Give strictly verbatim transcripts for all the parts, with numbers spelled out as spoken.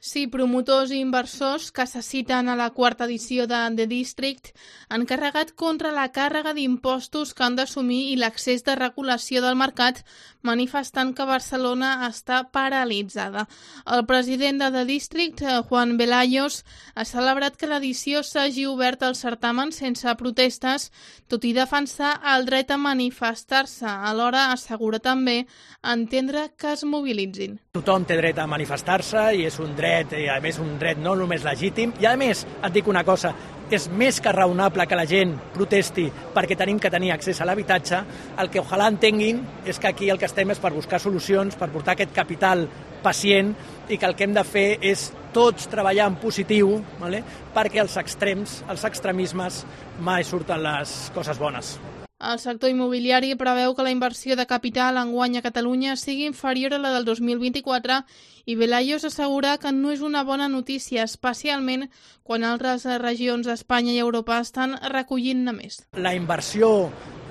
Sí, promotors i inversors que se citen a la quarta edició de The District han carregat contra la càrrega d'impostos que han d'assumir i l'accés de regulació del mercat, manifestant que Barcelona està paralitzada. El president de The District, Juan Velayos, ha celebrat que l'edició s'hagi obert al certamen sense protestes, tot i defensar el dret a manifestar-se. Alhora assegura també entendre que es mobilitzin. Tothom té dret a manifestar-se i és un dret, i a més un dret no només legítim, i a més et dic una cosa, és més que raonable que la gent protesti perquè tenim que tenir accés a l'habitatge. El que ojalà entenguin és que aquí el que estem és per buscar solucions, per portar aquest capital pacient i que el que hem de fer és tots treballar en positiu, vale? Perquè els extrems, els extremismes mai surten les coses bones. El sector immobiliari preveu que la inversió de capital enguany a Catalunya sigui inferior a la del dos mil vint-i-quatre i Velayos assegura que no és una bona notícia, especialment quan altres regions d'Espanya i Europa estan recollint-ne més. La inversió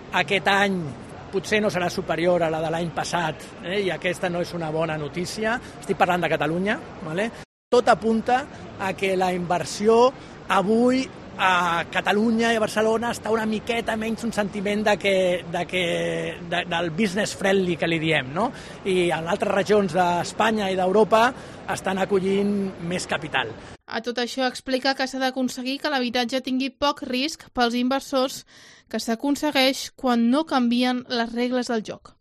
aquest any potser no serà superior a la de l'any passat, eh? I aquesta no és una bona notícia. Estic parlant de Catalunya, vale? Tot apunta a que la inversió avui a Catalunya i a Barcelona està una miqueta menys un sentiment de que, de que, de, del business friendly que li diem, no? I en altres regions d'Espanya i d'Europa estan acollint més capital. A tot això explica que s'ha d'aconseguir que l'habitatge tingui poc risc pels inversors, que s'aconsegueix quan no canvien les regles del joc.